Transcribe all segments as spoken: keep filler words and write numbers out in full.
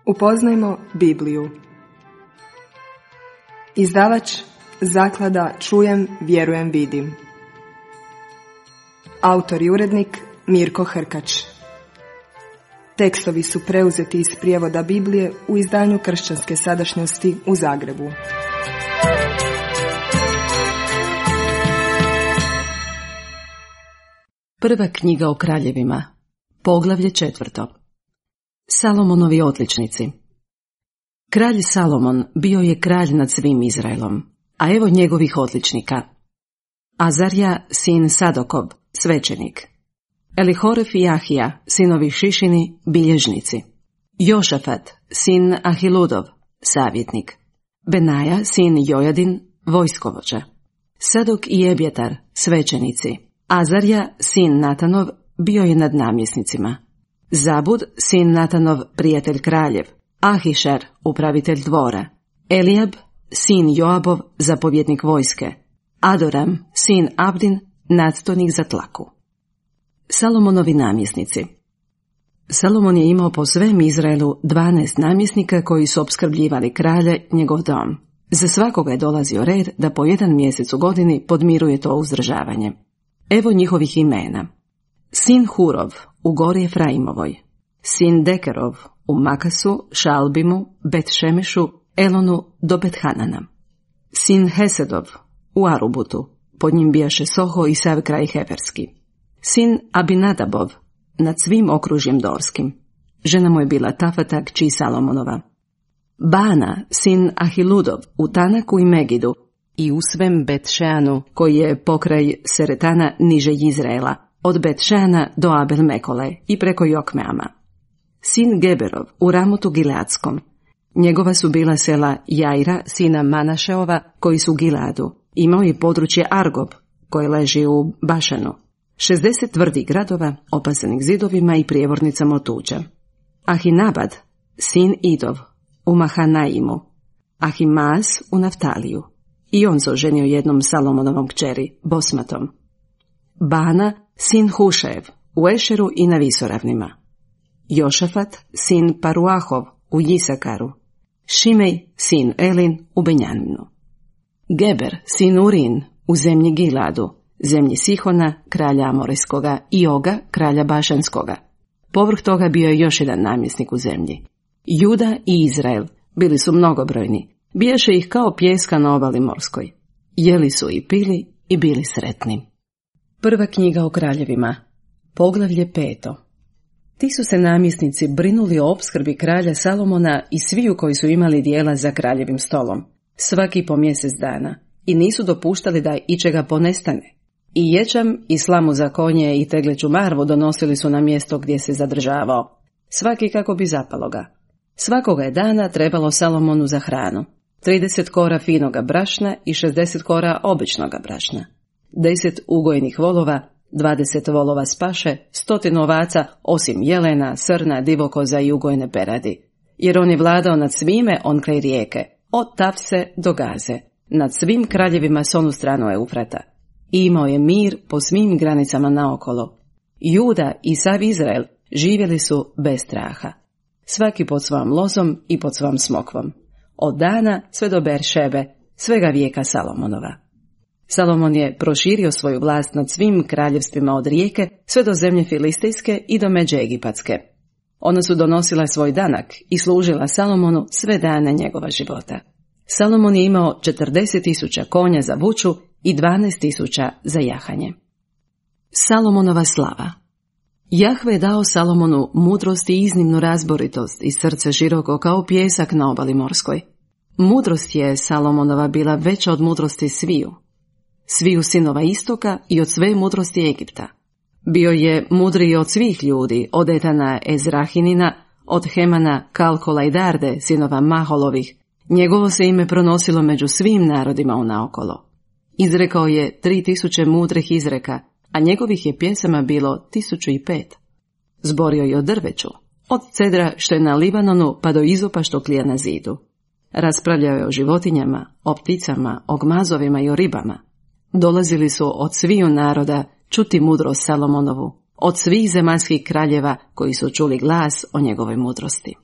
Upoznajmo Bibliju. Izdavač Zaklada Čujem, vjerujem, vidim. Autor i urednik Mirko Hrkač. Tekstovi su preuzeti iz prijevoda Biblije u izdanju Kršćanske sadašnjosti u Zagrebu. Prva knjiga o kraljevima, poglavlje četvrto. Salomonovi odličnici. Kralj Salomon bio je kralj nad svim Izraelom, a evo njegovih odličnika. Azarija, sin Sadokov, svećenik. Elihoref i Ahija, sinovi Šišini, bilježnici. Jošafat, sin Ahiludov, savjetnik. Benaja, sin Jojadin, vojskovođa. Sadok i Ebjetar, svećenici. Azarija, sin Natanov, bio je nad namjesnicima. Zabud, sin Natanov, prijatelj kraljev. Ahišar, upravitelj dvora. Elijab, sin Joabov, zapovjednik vojske. Adoram, sin Abdin, nadstojnik za tlaku. Salomonovi namjesnici. Salomon je imao po svem Izraelu dvanaest namjesnika koji su opskrbljivali kralje, njegov dom. Za svakoga je dolazio red da po jedan mjesec u godini podmiruje to uzdržavanje. Evo njihovih imena. Sin Hurov u gori Efraimovoj. Sin Dekerov u Makasu, Šalbimu, Bet-Šemešu, Elonu do Bet-Hanana. Sin Hesedov u Arubutu, pod njim bijaše Soho i sav kraj Heverski. Sin Abinadabov nad svim okružjem Dorskim. Žena mu je bila Tafata, kći Salomonova. Bana, sin Ahiludov u Tanaku i Megidu i u svem Bet-Šeanu, koji je pokraj Seretana niže Izraela, od Bet-Šeana do Abel-Mekole i preko Jokmeama. Sin Geberov u Ramotu Gileadskom. Njegova su bila sela Jaira, sina Manašeova, koji su u Gileadu. Imao je područje Argob, koje leži u Bašanu. šezdeset tvrdih gradova, opasanih zidovima i prijevornicama od tuđa. Ahinabad, sin Idov, u Mahanaimu. Ahimaas u Naftaliju. I on se oženio jednom Salomonovom kćeri, Bosmatom. Bana, sin Hušev, u Ešeru i na Visoravnima. Jošafat, sin Paruahov, u Jisakaru. Šimej, sin Elin, u Benjaminu. Geber, sin Urin, u zemlji Giladu, zemlji Sihona, kralja Amorejskoga, i Oga, kralja Bašanskoga. Povrh toga bio je još jedan namjesnik u zemlji. Juda i Izrael bili su mnogobrojni, bijaše ih kao pijeska na obali morskoj. Jeli su i pili i bili sretni. Prva knjiga o kraljevima, poglavlje peto. Ti su se namjesnici brinuli o opskrbi kralja Salomona i sviju koji su imali dijela za kraljevim stolom, svaki po mjesec dana, i nisu dopuštali da ičega ponestane. I ječam i slamu za konje i tegleću marvu donosili su na mjesto gdje se zadržavao, svaki kako bi zapalo ga. Svakoga je dana trebalo Salomonu za hranu, trideset kora finoga brašna i šezdeset kora običnoga brašna, deset ugojnih volova, dvadeset volova s paše, stotinu ovaca, osim jelena, srna, divokoza i ugojne peradi, jer on je vladao nad svime on kraj rijeke, od Tafse do Gaze, nad svim kraljevima s onu stranu Eufrata. I imao je mir po svim granicama naokolo. Juda i sav Izrael živjeli su bez straha, svaki pod svojom lozom i pod svojom smokvom, od dana sve do Beršebe, svega vijeka Salomonova. Salomon je proširio svoju vlast nad svim kraljevstvima od rijeke sve do zemlje Filistejske i do međe Egipatske. Ona su donosila svoj danak i služila Salomonu sve dane njegova života. Salomon je imao četrdeset tisuća konja za vuču i dvanaest tisuća za jahanje. Salomonova slava. Jahve je dao Salomonu mudrost i iznimnu razboritost i srce široko kao pijesak na obali morskoj. Mudrost je Salomonova bila veća od mudrosti sviju. Sviju sinova istoka i od sve mudrosti Egipta. Bio je mudriji od svih ljudi, od Etana Ezrahinina, od Hemana, Kalkola i Darde, sinova Maholovih. Njegovo se ime pronosilo među svim narodima unaokolo. Izrekao je tri tisuće mudrih izreka, a njegovih je pjesama bilo tisuću i pet. Zborio je o drveću, od cedra što je na Libanonu pa do izopa što klija na zidu. Raspravljao je o životinjama, o pticama, o gmazovima i o ribama. Dolazili su od sviju naroda čuti mudrost Salomonovu, od svih zemaljskih kraljeva koji su čuli glas o njegovoj mudrosti.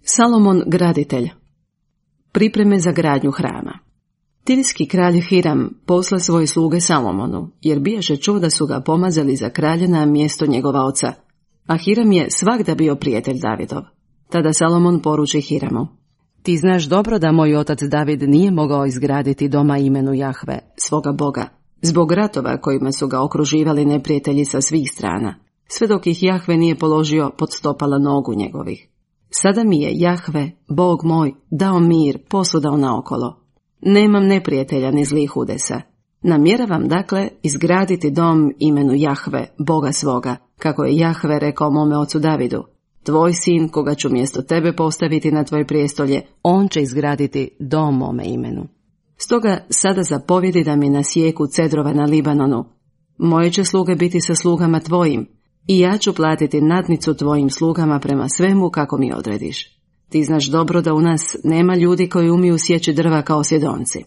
Salomon graditelj. Pripreme za gradnju hrama. Tirski kralj Hiram posla svoje sluge Salomonu, jer bijaše čuo da su ga pomazali za kralja na mjesto njegova oca, a Hiram je svagda bio prijatelj Davidov. Tada Salomon poruči Hiramu: ti znaš dobro da moj otac David nije mogao izgraditi doma imenu Jahve, svoga Boga, zbog ratova kojima su ga okruživali neprijatelji sa svih strana, sve dok ih Jahve nije položio pod stopala nogu njegovih. Sada mi je Jahve, Bog moj, dao mir posvuda naokolo. Nemam neprijatelja ni zlih udesa. Namjeravam dakle izgraditi dom imenu Jahve, Boga svoga, kako je Jahve rekao mome ocu Davidu: tvoj sin, koga ću mjesto tebe postaviti na tvoje prijestolje, on će izgraditi dom mome imenu. Stoga sada zapovjedi da mi nasijeku cedrova na Libanonu. Moje će sluge biti sa slugama tvojim, i ja ću platiti nadnicu tvojim slugama prema svemu kako mi odrediš. Ti znaš dobro da u nas nema ljudi koji umiju sjeći drva kao Sidonci.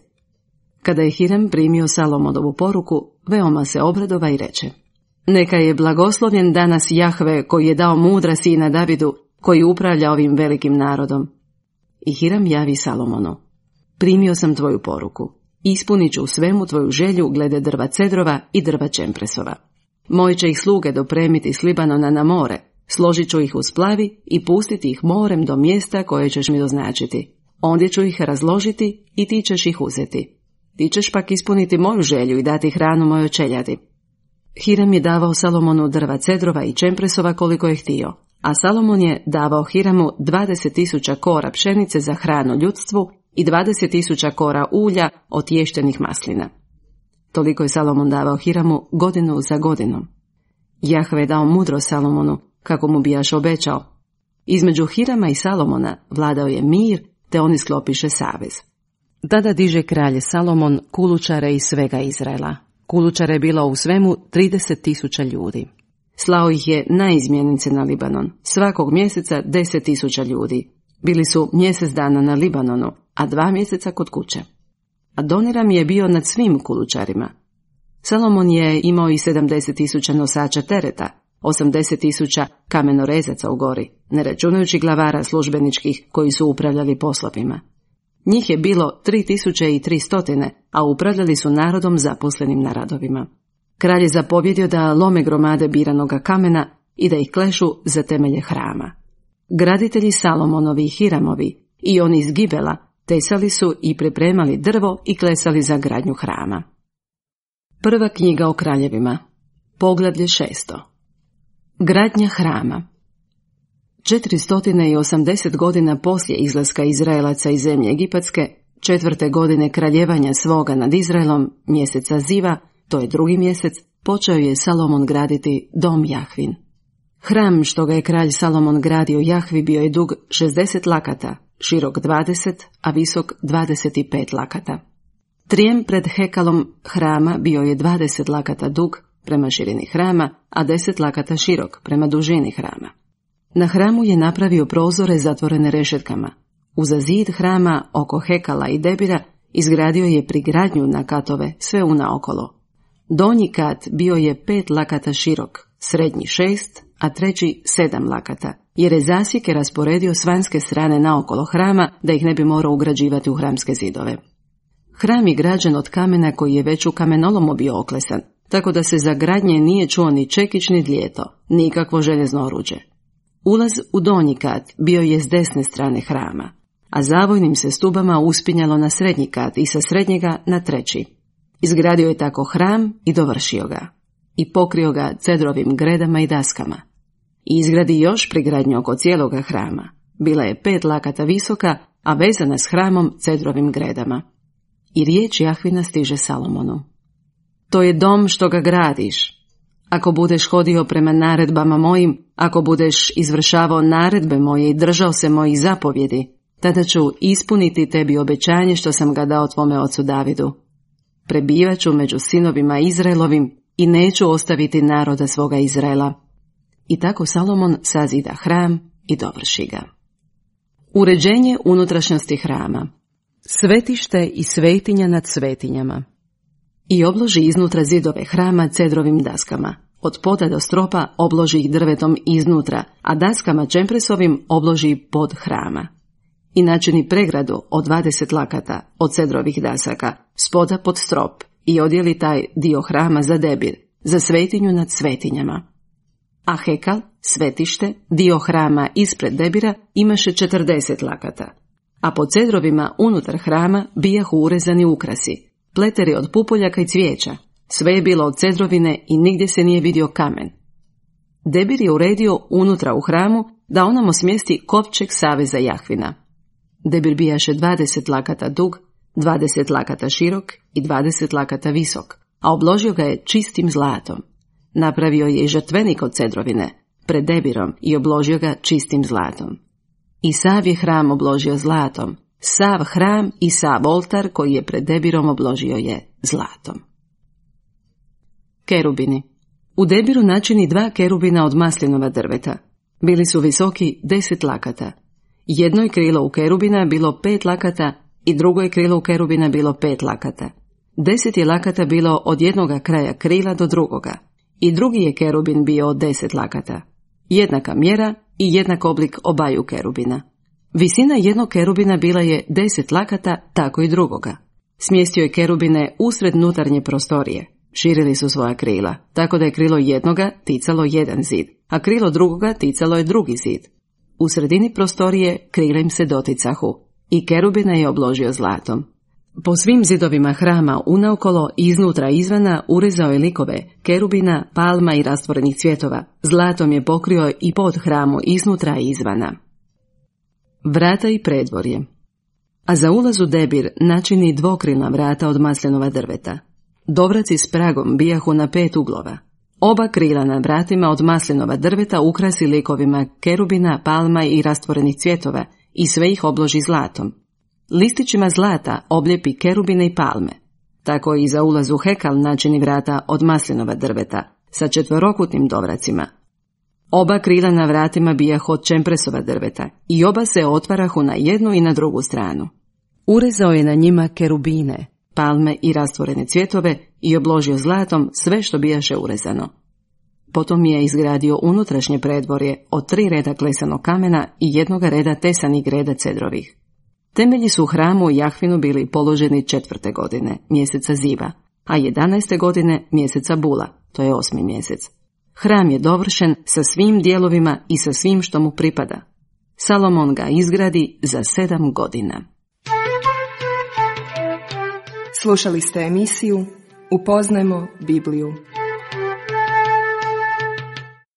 Kada je Hiram primio Salomonovu poruku, veoma se obradova i reče: neka je blagoslovljen danas Jahve koji je dao mudra sina Davidu, koji upravlja ovim velikim narodom. I Hiram javi Salomonu: primio sam tvoju poruku, ispunit ću u svemu tvoju želju glede drva cedrova i drva čempresova. Moji će ih sluge dopremiti s Libanona na more, složit ću ih u splavi i pustiti ih morem do mjesta koje ćeš mi doznačiti. Ondje ću ih razložiti i ti ćeš ih uzeti. Ti ćeš pak ispuniti moju želju i dati hranu mojoj čeljadi. Hiram je davao Salomonu drva cedrova i čempresova koliko je htio, a Salomon je davao Hiramu dvadeset tisuća kora pšenice za hranu ljudstvu i dvadeset tisuća kora ulja od tještenih maslina. Toliko je Salomon davao Hiramu godinu za godinom. Jahve je dao mudro Salomonu, kako mu bijaš obećao. Između Hirama i Salomona vladao je mir, te oni sklopiše savez. Tada diže kralj Salomon kulučare iz svega Izraela. Kulučare je bilo u svemu trideset tisuća ljudi. Slao ih je na izmjenice na Libanon, svakog mjeseca deset tisuća ljudi. Bili su mjesec dana na Libanonu, a dva mjeseca kod kuće. Adoniram je bio nad svim kulučarima. Salomon je imao i sedamdeset tisuća nosača tereta, osamdeset tisuća kamenorezaca u gori, ne računajući glavara službeničkih koji su upravljali poslovima. Njih je bilo tri tisuće tristo, a upravljali su narodom zaposlenim na radovima. Kralj je zapovjedio da lome gromade biranoga kamena i da ih klešu za temelje hrama. Graditelji Salomonovi i Hiramovi i oni iz Gibela tesali su i pripremali drvo i klesali za gradnju hrama. Prva knjiga o kraljevima, poglavlje šesto. Gradnja hrama. četiristo osamdeset godina poslije izlaska Izraelaca iz zemlje Egipatske, četvrte godine kraljevanja svoga nad Izraelom, mjeseca Ziva, to je drugi mjesec, počeo je Salomon graditi dom Jahvin. Hram što ga je kralj Salomon gradio Jahvi bio je dug šezdeset lakata, širok dvadeset, a visok dvadeset pet lakata. Trijem pred hekalom hrama bio je dvadeset lakata dug prema širini hrama, a deset lakata širok prema dužini hrama. Na hramu je napravio prozore zatvorene rešetkama. Uza zid hrama oko hekala i debira izgradio je prigradnju na katove sve unaokolo. Donji kat bio je pet lakata širok, srednji šest, a treći sedam lakata, jer je zasjeke rasporedio s vanjske strane naokolo hrama da ih ne bi morao ugrađivati u hramske zidove. Hram je građen od kamena koji je već u kamenolomu bio oklesan, tako da se za gradnje nije čuo ni čekić ni dlijeto, nikakvo željezno oruđe. Ulaz u donji kat bio je s desne strane hrama, a zavojnim se stubama uspinjalo na srednji kat i sa srednjega na treći. Izgradio je tako hram i dovršio ga. I pokrio ga cedrovim gredama i daskama. I izgradi još prigradnju oko cijeloga hrama. Bila je pet lakata visoka, a vezana s hramom cedrovim gredama. I riječ Jahvina stiže Salomonu. To je dom što ga gradiš. Ako budeš hodio prema naredbama mojim, ako budeš izvršavao naredbe moje i držao se mojih zapovjedi, tada ću ispuniti tebi obećanje što sam ga dao tvome ocu Davidu. Prebivat ću među sinovima Izraelovim i neću ostaviti naroda svoga Izraela. I tako Salomon sazida hram i dovrši ga. Uređenje unutrašnjosti hrama. Svetište i svetinja nad svetinjama. I obloži iznutra zidove hrama cedrovim daskama. Od poda do stropa obloži ih drvetom iznutra, a daskama čempresovim obloži pod hrama. i načini pregradu od dvadeset lakata od cedrovih dasaka, spoda pod strop i odjeli taj dio hrama za debir, za svetinju nad svetinjama. A hekal, svetište, dio hrama ispred debira imaše četrdeset lakata, a po cedrovima unutar hrama bijahu urezani ukrasi, pleteri od pupoljaka i cvijeća, sve je bilo od cedrovine i nigdje se nije vidio kamen. Debir je uredio unutra u hramu da onamo smjesti kovčeg saveza Jahvina. Debir bijaše dvadeset lakata dug, dvadeset lakata širok i dvadeset lakata visok, a obložio ga je čistim zlatom. Napravio je i žrtvenik od cedrovine pred debirom i obložio ga čistim zlatom. I sav je hram obložio zlatom, sav hram i sav oltar koji je pred debirom obložio je zlatom. Kerubini. U debiru načini dva kerubina od maslinova drveta. Bili su visoki deset lakata. Jedno je krilo u kerubina bilo pet lakata i drugo je krilo u kerubina bilo pet lakata. Deset je lakata bilo od jednoga kraja krila do drugoga i drugi je kerubin bio od deset lakata. Jednaka mjera i jednak oblik obaju kerubina. Visina jednog kerubina bila je deset lakata, tako i drugoga. Smjestio je kerubine usred nutarnje prostorije. Širili su svoja krila, tako da je krilo jednoga ticalo jedan zid, a krilo drugoga ticalo je drugi zid. U sredini prostorije krila im se doticahu i kerubina je obložio zlatom. Po svim zidovima hrama unaokolo i iznutra izvana urezao je likove kerubina, palma i rastvorenih cvjetova. Zlatom je pokrio i pod hramu iznutra i izvana. Vrata i predvorje. A za ulaz u debir načini dvokrilna vrata od maslinova drveta. Dovraci s pragom bijahu na pet uglova. Oba krila na vratima od maslinova drveta ukrasi likovima kerubina, palma i rastvorenih cvjetova i sve ih obloži zlatom. Listićima zlata obljepi kerubine i palme. Tako i za ulaz u hekal načini vrata od maslinova drveta sa četverokutnim dovracima. Oba krila na vratima bijahu od čempresova drveta i oba se otvarahu na jednu i na drugu stranu. Urezao je na njima kerubine, palme i rastvorene cvjetove i obložio zlatom sve što bijaše urezano. Potom je izgradio unutrašnje predvorje od tri reda klesanog kamena i jednoga reda tesanih greda cedrovih. Temelji su u hramu Jahvinu bili položeni četvrte godine, mjeseca Ziva, a jedanaeste godine mjeseca Bula, to je osmi mjesec. Hram je dovršen sa svim dijelovima i sa svim što mu pripada. Salomon ga izgradi za sedam godina. Slušali ste emisiju Upoznajmo Bibliju.